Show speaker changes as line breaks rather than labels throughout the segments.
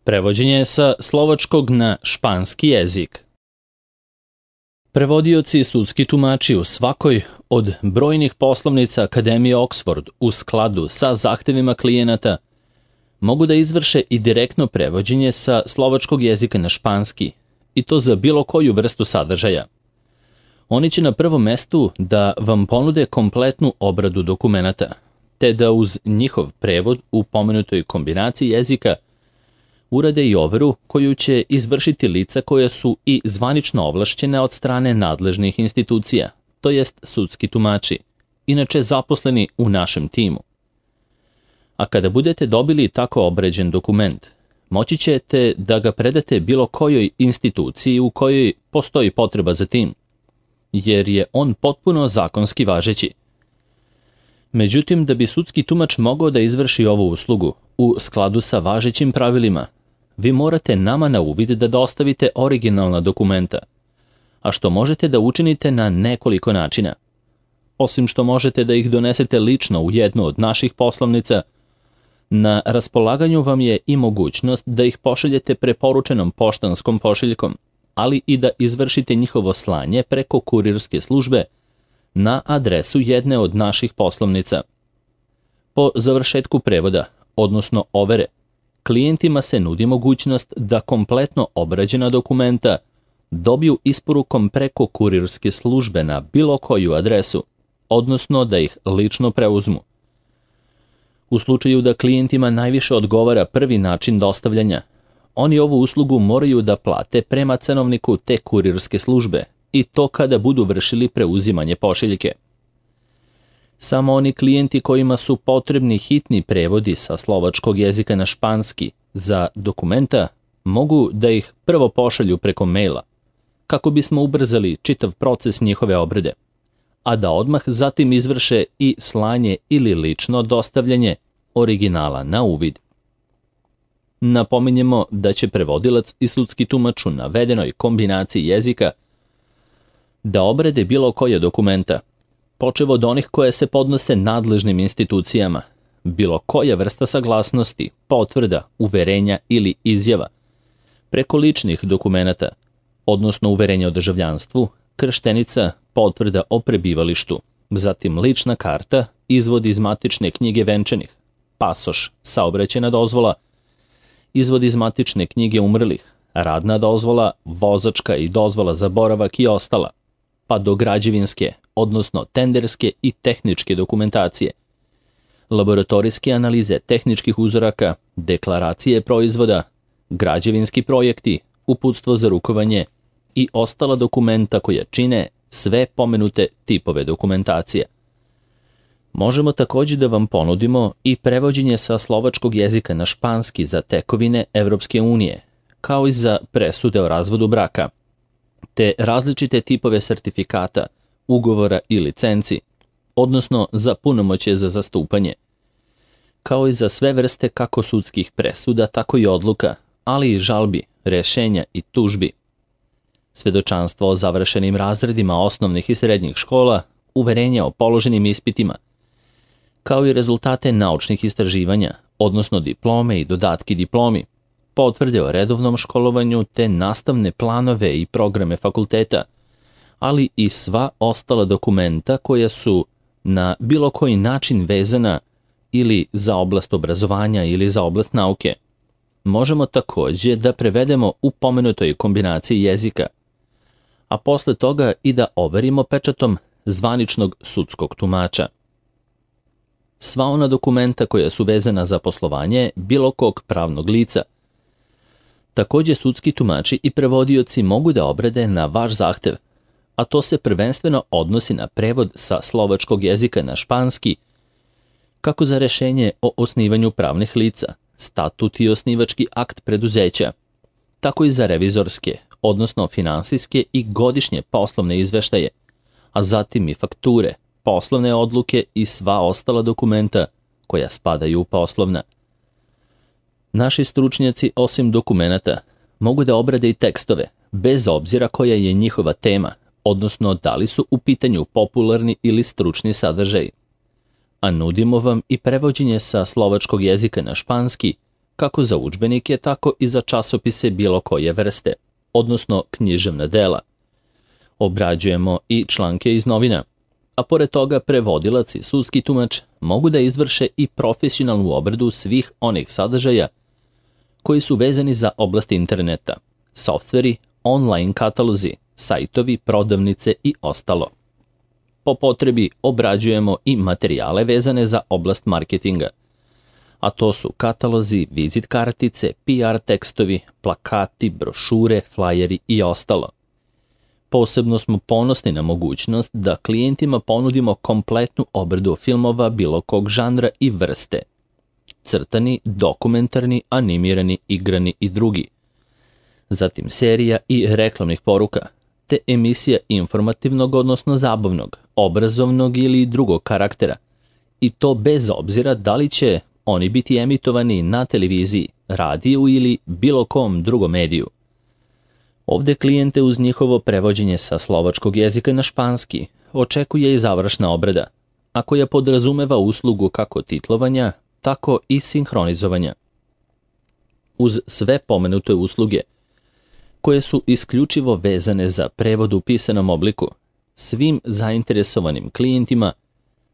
Prevođenje sa slovačkog na španski jezik. Prevodioci i sudski tumači u svakoj od brojnih poslovnica Akademije Oxford u skladu sa zahtevima klijenata mogu da izvrše i direktno prevođenje sa slovačkog jezika na španski, i to za bilo koju vrstu sadržaja. Oni će na prvom mestu da vam ponude kompletnu obradu dokumenata, te da uz njihov prevod u pomenutoj kombinaciji jezika urade i overu koju će izvršiti lica koja su i zvanično ovlašćena od strane nadležnih institucija, to jest sudski tumači, inače zaposleni u našem timu. A kada budete dobili tako obrađen dokument, moći ćete da ga predate bilo kojoj instituciji u kojoj postoji potreba za tim, jer je on potpuno zakonski važeći. Međutim, da bi sudski tumač mogao da izvrši ovu uslugu u skladu sa važećim pravilima, vi morate nama na uvid da dostavite originalna dokumenta, a što možete da učinite na nekoliko načina. Osim što možete da ih donesete lično u jednu od naših poslovnica, na raspolaganju vam je i mogućnost da ih pošaljete preporučenom poštanskom pošiljkom, ali i da izvršite njihovo slanje preko kurirske službe na adresu jedne od naših poslovnica. Po završetku prevoda, odnosno overe, klijentima se nudi mogućnost da kompletno obrađena dokumenta dobiju isporukom preko kurirske službe na bilo koju adresu, odnosno da ih lično preuzmu. U slučaju da klijentima najviše odgovara prvi način dostavljanja, oni ovu uslugu moraju da plate prema cenovniku te kurirske službe, i to kada budu vršili preuzimanje pošiljke. Samo oni klijenti kojima su potrebni hitni prevodi sa slovačkog jezika na španski za dokumenta mogu da ih prvo pošalju preko maila, kako bismo ubrzali čitav proces njihove obrade, a da odmah zatim izvrše i slanje ili lično dostavljanje originala na uvid. Napominjemo da će prevodilac i sudski tumač u navedenoj kombinaciji jezika da obrade bilo koje dokumenta, počev od onih koje se podnose nadležnim institucijama, bilo koja vrsta saglasnosti, potvrda, uverenja ili izjava, preko ličnih dokumenata, odnosno uverenja o državljanstvu, krštenica, potvrda o prebivalištu, zatim lična karta, izvod iz matične knjige venčanih, pasoš, saobraćajna dozvola, izvod iz matične knjige umrlih, radna dozvola, vozačka i dozvola za boravak i ostala, pa do građevinske, odnosno tenderske i tehničke dokumentacije, laboratorijske analize tehničkih uzoraka, deklaracije proizvoda, građevinski projekti, uputstvo za rukovanje i ostala dokumenta koja čine sve pomenute tipove dokumentacije. Možemo također da vam ponudimo i prevođenje sa slovačkog jezika na španski za tekovine Evropske unije, kao i za presude o razvodu braka, te različite tipove sertifikata, ugovora i licenci, odnosno za punomoćje za zastupanje, kao i za sve vrste kako sudskih presuda, tako i odluka, ali i žalbi, rešenja i tužbi. Svedočanstvo o završenim razredima osnovnih i srednjih škola, uverenja o položenim ispitima, kao i rezultate naučnih istraživanja, odnosno diplome i dodatki diplomi, potvrde o redovnom školovanju te nastavne planove i programe fakulteta, ali i sva ostala dokumenta koja su na bilo koji način vezana ili za oblast obrazovanja ili za oblast nauke. Možemo također da prevedemo u pomenutoj kombinaciji jezika, a posle toga i da overimo pečatom zvaničnog sudskog tumača. Sva ona dokumenta koja su vezana za poslovanje bilo kog pravnog lica. Također sudski tumači i prevodioci mogu da obrade na vaš zahtev, a to se prvenstveno odnosi na prevod sa slovačkog jezika na španski, kako za rešenje o osnivanju pravnih lica, statut i osnivački akt preduzeća, tako i za revizorske, odnosno finansijske i godišnje poslovne izveštaje, a zatim i fakture, poslovne odluke i sva ostala dokumenta koja spadaju u poslovna. Naši stručnjaci, osim dokumenata, mogu da obrade i tekstove, bez obzira koja je njihova tema, odnosno da li su u pitanju popularni ili stručni sadržaj. A nudimo vam i prevođenje sa slovačkog jezika na španski kako za udžbenike, tako i za časopise bilo koje vrste, odnosno književna dela. Obrađujemo i članke iz novina, a pored toga prevodilac i sudski tumač mogu da izvrše i profesionalnu obradu svih onih sadržaja koji su vezani za oblast interneta, softveri, online katalozi, sajtovi, prodavnice i ostalo. Po potrebi obrađujemo i materijale vezane za oblast marketinga, a to su katalozi, vizit kartice, PR tekstovi, plakati, brošure, flajeri i ostalo. Posebno smo ponosni na mogućnost da klijentima ponudimo kompletnu obradu filmova bilo kog žanra i vrste. Crtani, dokumentarni, animirani, igrani i drugi. Zatim serija i reklamnih poruka, te emisija informativnog, odnosno zabavnog, obrazovnog ili drugog karaktera. I to bez obzira da li će oni biti emitovani na televiziji, radiju ili bilo kom drugom mediju. Ovde klijente uz njihovo prevođenje sa slovačkog jezika na španski očekuje i završna obrada, a koja podrazumeva uslugu kako titlovanja, tako i sinhronizovanja. Uz sve pomenute usluge, koje su isključivo vezane za prevod u pisanom obliku, svim zainteresovanim klijentima,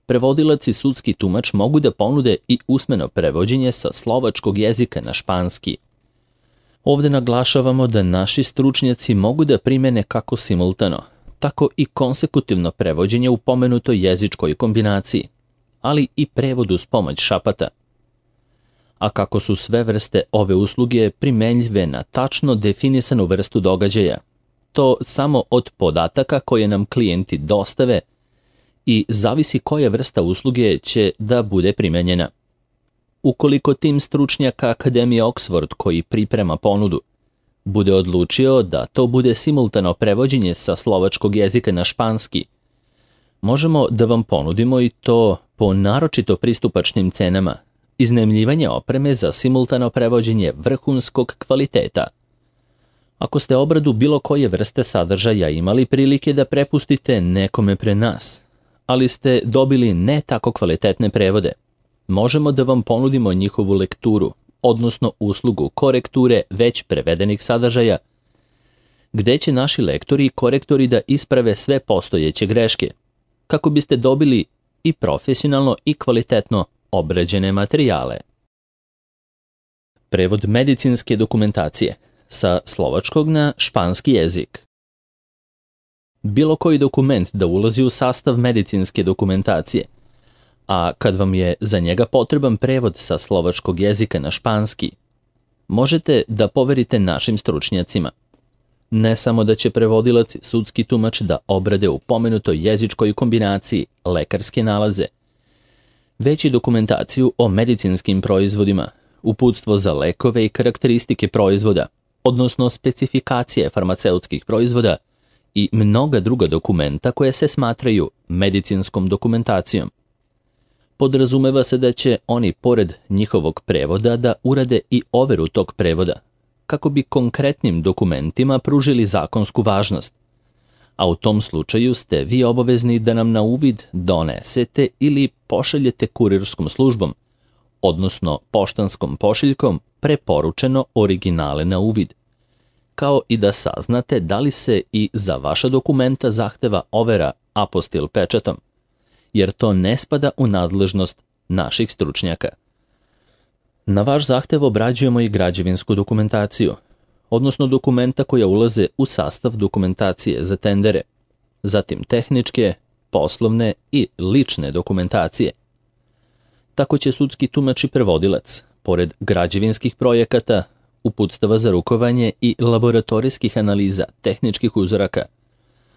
prevodilac i sudski tumač mogu da ponude i usmeno prevođenje sa slovačkog jezika na španski. Ovde naglašavamo da naši stručnjaci mogu da primene kako simultano, tako i konsekutivno prevođenje u pomenutoj jezičkoj kombinaciji, ali i prevod uz pomoć šapata. A kako su sve vrste ove usluge primenljive na tačno definisanu vrstu događaja, to samo od podataka koje nam klijenti dostave i zavisi koja vrsta usluge će da bude primenjena. Ukoliko tim stručnjaka Akademije Oxford koji priprema ponudu bude odlučio da to bude simultano prevođenje sa slovačkog jezika na španski, možemo da vam ponudimo i to po naročito pristupačnim cenama, iznajmljivanje opreme za simultano prevođenje vrhunskog kvaliteta. Ako ste obradu bilo koje vrste sadržaja imali prilike da prepustite nekome pre nas, ali ste dobili ne tako kvalitetne prevode, možemo da vam ponudimo njihovu lekturu, odnosno uslugu korekture već prevedenih sadržaja, gde će naši lektori i korektori da isprave sve postojeće greške, kako biste dobili i profesionalno i kvalitetno obrađene materijale. Prevod medicinske dokumentacije sa slovačkog na španski jezik. Bilo koji dokument da ulazi u sastav medicinske dokumentacije, a kad vam je za njega potreban prevod sa slovačkog jezika na španski, možete da poverite našim stručnjacima. Ne samo da će prevodilac i sudski tumač da obrade u pomenutoj jezičkoj kombinaciji lekarske nalaze, već i dokumentaciju o medicinskim proizvodima, uputstvo za lekove i karakteristike proizvoda, odnosno specifikacije farmaceutskih proizvoda i mnoga druga dokumenta koje se smatraju medicinskom dokumentacijom. Podrazumeva se da će oni pored njihovog prevoda da urade i overu tog prevoda, kako bi konkretnim dokumentima pružili zakonsku važnost, a u tom slučaju ste vi obavezni da nam na uvid donesete ili pošaljete kurirskom službom, odnosno poštanskom pošiljkom preporučeno originale na uvid, kao i da saznate da li se i za vaša dokumenta zahteva overa apostil pečatom, jer to ne spada u nadležnost naših stručnjaka. Na vaš zahtev obrađujemo i građevinsku dokumentaciju, odnosno dokumenta koja ulaze u sastav dokumentacije za tendere, zatim tehničke, poslovne i lične dokumentacije. Tako će sudski tumač i prevodilac, pored građevinskih projekata, uputstava za rukovanje i laboratorijskih analiza tehničkih uzoraka,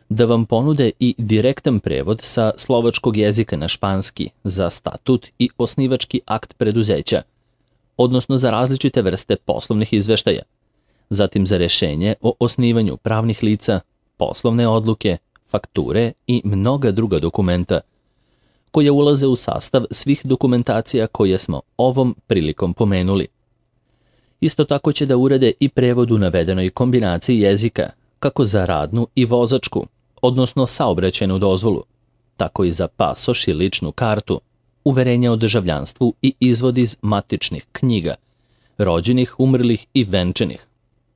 da vam ponude i direktan prevod sa slovačkog jezika na španski za statut i osnivački akt preduzeća, odnosno za različite vrste poslovnih izveštaja, zatim za rešenje o osnivanju pravnih lica, poslovne odluke, fakture i mnoga druga dokumenta, koje ulaze u sastav svih dokumentacija koje smo ovom prilikom pomenuli. Isto tako će da urade i prevod u navedenoj kombinaciji jezika, kako za radnu i vozačku, odnosno saobraćajnu dozvolu, tako i za pasoš i ličnu kartu, uverenja o državljanstvu i izvod iz matičnih knjiga, rođenih, umrlih i venčanih,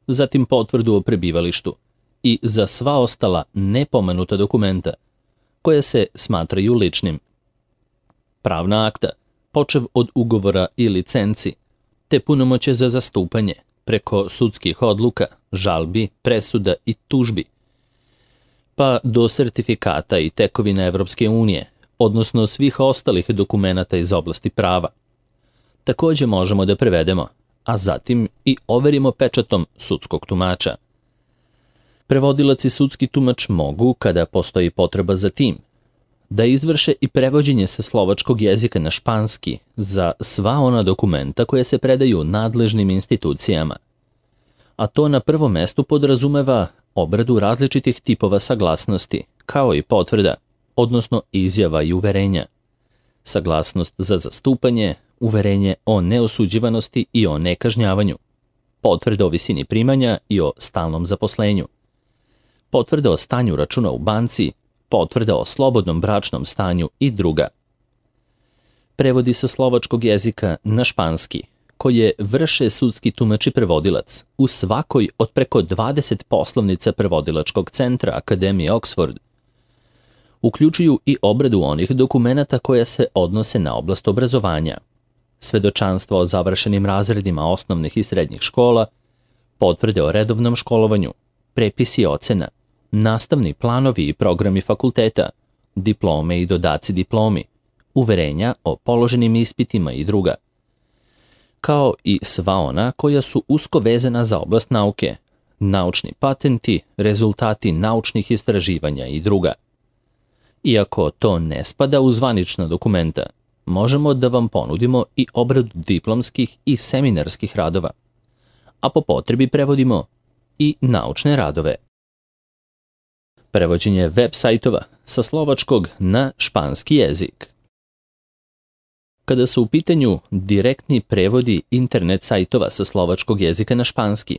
zatim potvrdu o prebivalištu i za sva ostala nepomenuta dokumenta koja se smatraju ličnim. Pravna akta, počev od ugovora i licenci, te punomoće za zastupanje preko sudskih odluka, žalbi, presuda i tužbi, pa do sertifikata i tekovina Evropske unije, odnosno svih ostalih dokumenata iz oblasti prava. Takođe možemo da prevedemo, a zatim i overimo pečatom sudskog tumača. Prevodilac i sudski tumač mogu, kada postoji potreba za tim, da izvrše i prevođenje sa slovačkog jezika na španski za sva ona dokumenta koje se predaju nadležnim institucijama. A to na prvom mestu podrazumeva obradu različitih tipova saglasnosti, kao i potvrda, odnosno izjava i uverenja. Saglasnost za zastupanje, uverenje o neosuđivanosti i o nekažnjavanju, potvrda o visini primanja i o stalnom zaposlenju, potvrda o stanju računa u banci, potvrda o slobodnom bračnom stanju i druga. Prevodi sa slovačkog jezika na španski, koje vrše sudski tumač i prevodilac u svakoj od preko 20 poslovnica prevodilačkog centra Akademije Oxford, uključuju i obradu onih dokumenata koja se odnose na oblast obrazovanja, svedočanstva o završenim razredima osnovnih i srednjih škola, potvrde o redovnom školovanju, prepisi ocena, nastavni planovi i programi fakulteta, diplome i dodaci diplomi, uverenja o položenim ispitima i druga, kao i sva ona koja su usko vezana za oblast nauke, naučni patenti, rezultati naučnih istraživanja i druga. Iako to ne spada u zvanična dokumenta, možemo da vam ponudimo i obradu diplomskih i seminarskih radova, a po potrebi prevodimo i naučne radove. Prevođenje web sajtova sa slovačkog na španski jezik. Kada su u pitanju direktni prevodi internet sajtova sa slovačkog jezika na španski,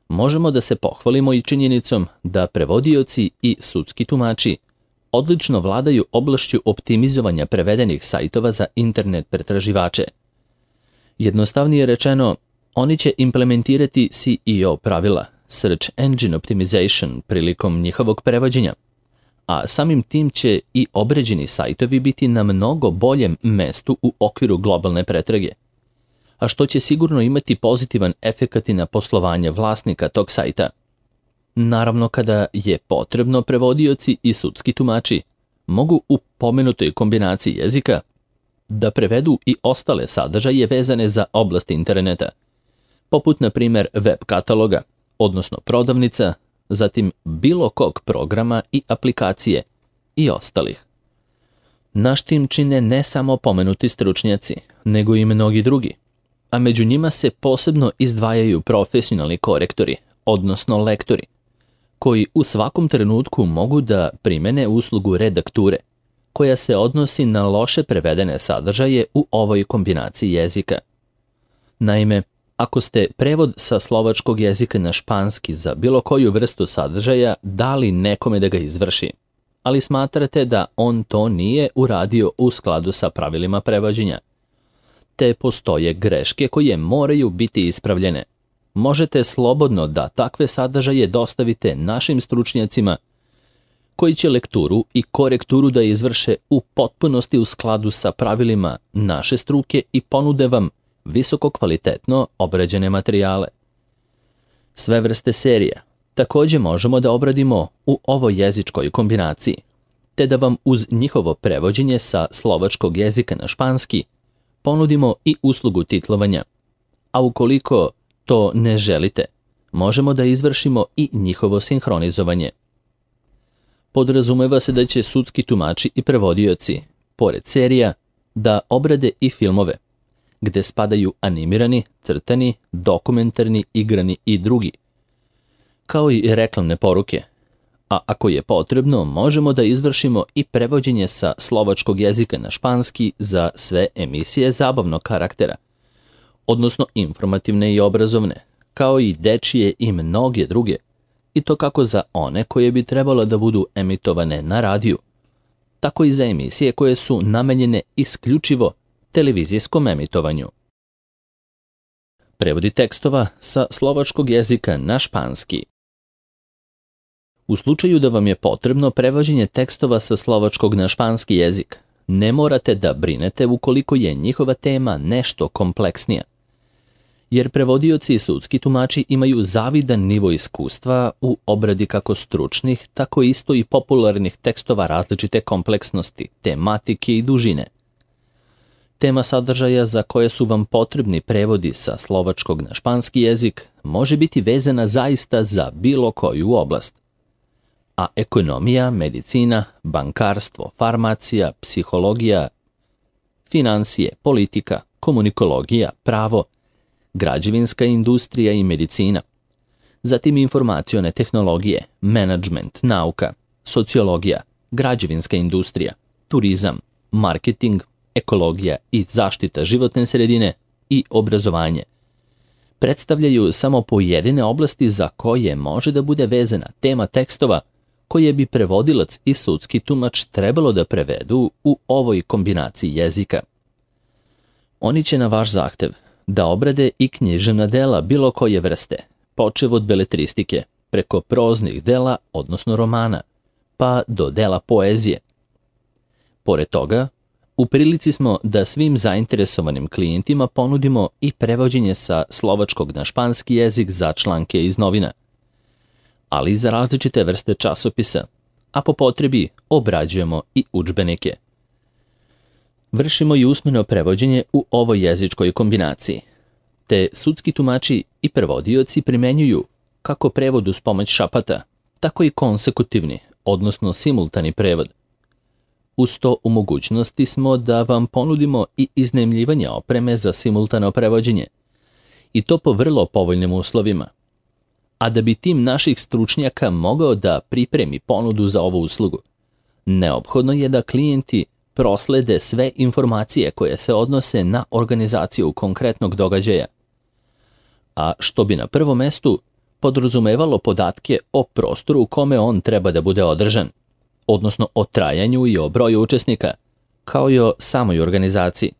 možemo da se pohvalimo i činjenicom da prevodioci i sudski tumači odlično vladaju oblašću optimizovanja prevedenih sajtova za internet pretraživače. Jednostavnije rečeno, oni će implementirati SEO pravila, Search Engine Optimization, prilikom njihovog prevođenja, a samim tim će i obređeni sajtovi biti na mnogo boljem mestu u okviru globalne pretrage, a što će sigurno imati pozitivan efekat i na poslovanje vlasnika tog sajta. Naravno, kada je potrebno, prevodioci i sudski tumači mogu u pomenutoj kombinaciji jezika da prevedu i ostale sadržaje vezane za oblast interneta, poput na primjer web kataloga, odnosno prodavnica, zatim bilo kog programa i aplikacije i ostalih. Naš tim čine ne samo pomenuti stručnjaci, nego i mnogi drugi, a među njima se posebno izdvajaju profesionalni korektori, odnosno lektori, koji u svakom trenutku mogu da primene uslugu redakture, koja se odnosi na loše prevedene sadržaje u ovoj kombinaciji jezika. Naime, ako ste prevod sa slovačkog jezika na španski za bilo koju vrstu sadržaja dali nekome da ga izvrši, ali smatrate da on to nije uradio u skladu sa pravilima prevođenja, te postoje greške koje moraju biti ispravljene, možete slobodno da takve sadržaje dostavite našim stručnjacima koji će lekturu i korekturu da izvrše u potpunosti u skladu sa pravilima naše struke i ponude vam visoko kvalitetno obrađene materijale. Sve vrste serija takođe možemo da obradimo u ovoj jezičkoj kombinaciji, te da vam uz njihovo prevođenje sa slovačkog jezika na španski ponudimo i uslugu titlovanja, a ukoliko to ne želite, možemo da izvršimo i njihovo sinhronizovanje. Podrazumeva se da će sudski tumači i prevodioci, pored serija, da obrade i filmove, gde spadaju animirani, crtani, dokumentarni, igrani i drugi, kao i reklamne poruke, a ako je potrebno, možemo da izvršimo i prevođenje sa slovačkog jezika na španski za sve emisije zabavnog karaktera, odnosno informativne i obrazovne, kao i dečije i mnoge druge, i to kako za one koje bi trebalo da budu emitovane na radiju, tako i za emisije koje su namenjene isključivo televizijskom emitovanju. Prevodi tekstova sa slovačkog jezika na španski. U slučaju da vam je potrebno prevođenje tekstova sa slovačkog na španski jezik, ne morate da brinete ukoliko je njihova tema nešto kompleksnija. Jer prevodioci i sudski tumači imaju zavidan nivo iskustva u obradi kako stručnih, tako isto i popularnih tekstova različite kompleksnosti, tematike i dužine. Tema sadržaja za koje su vam potrebni prevodi sa slovačkog na španski jezik može biti vezana zaista za bilo koju oblast. A ekonomija, medicina, bankarstvo, farmacija, psihologija, finansije, politika, komunikologija, pravo, građevinska industrija i medicina, zatim informacione tehnologije, menadžment, nauka, sociologija, građevinska industrija, turizam, marketing, ekologija i zaštita životne sredine i obrazovanje predstavljaju samo pojedine oblasti za koje može da bude vezana tema tekstova koje bi prevodilac i sudski tumač trebalo da prevedu u ovoj kombinaciji jezika. Oni će na vaš zahtev da obrade i književna dela bilo koje vrste, počev od beletristike, preko proznih dela, odnosno romana, pa do dela poezije. Pored toga, u prilici smo da svim zainteresovanim klijentima ponudimo i prevođenje sa slovačkog na španski jezik za članke iz novina, ali i za različite vrste časopisa, a po potrebi obrađujemo i udžbenike. Vršimo i usmeno prevođenje u ovoj jezičkoj kombinaciji, te sudski tumači i prevodioci primenjuju kako prevod uz pomoć šapata, tako i konsekutivni, odnosno simultani prevod. Uz to u mogućnosti smo da vam ponudimo i iznajmljivanje opreme za simultano prevođenje, i to po vrlo povoljnim uslovima. A da bi tim naših stručnjaka mogao da pripremi ponudu za ovu uslugu, neophodno je da klijenti proslede sve informacije koje se odnose na organizaciju konkretnog događaja, a što bi na prvom mestu podrazumevalo podatke o prostoru u kome on treba da bude održan, odnosno o trajanju i o broju učesnika, kao i o samoj organizaciji.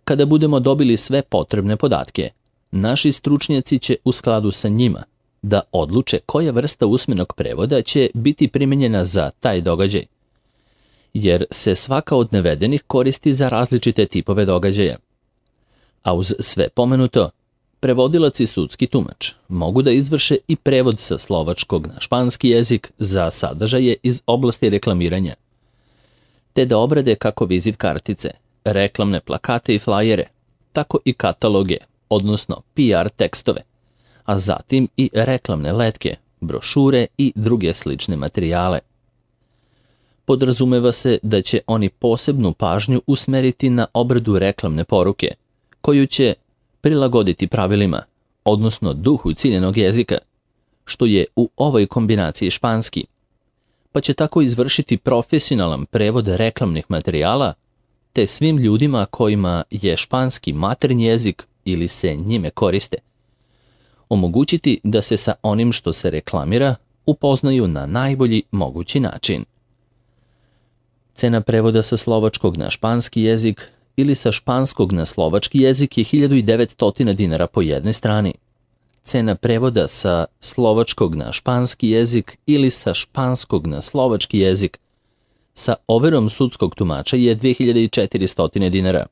Kada budemo dobili sve potrebne podatke, naši stručnjaci će u skladu sa njima da odluče koja vrsta usmenog prevoda će biti primenjena za taj događaj, jer se svaka od navedenih koristi za različite tipove događaja. A uz sve pomenuto, prevodilac i sudski tumač mogu da izvrše i prevod sa slovačkog na španski jezik za sadržaje iz oblasti reklamiranja, te da obrade kako vizit kartice, reklamne plakate i flajere, tako i kataloge, odnosno PR tekstove, a zatim i reklamne letke, brošure i druge slične materijale. Podrazumeva se da će oni posebnu pažnju usmeriti na obradu reklamne poruke, koju će prilagoditi pravilima, odnosno duhu ciljenog jezika, što je u ovoj kombinaciji španski, pa će tako izvršiti profesionalan prevod reklamnih materijala, te svim ljudima kojima je španski maternji jezik ili se njime koriste, omogućiti da se sa onim što se reklamira upoznaju na najbolji mogući način. Cena prevoda sa slovačkog na španski jezik ili sa španskog na slovački jezik je 1900 dinara po jednoj strani. Cena prevoda sa slovačkog na španski jezik ili sa španskog na slovački jezik sa overom sudskog tumača je 2400 dinara.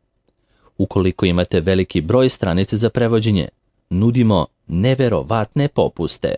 Ukoliko imate veliki broj stranica za prevođenje, nudimo neverovatne popuste.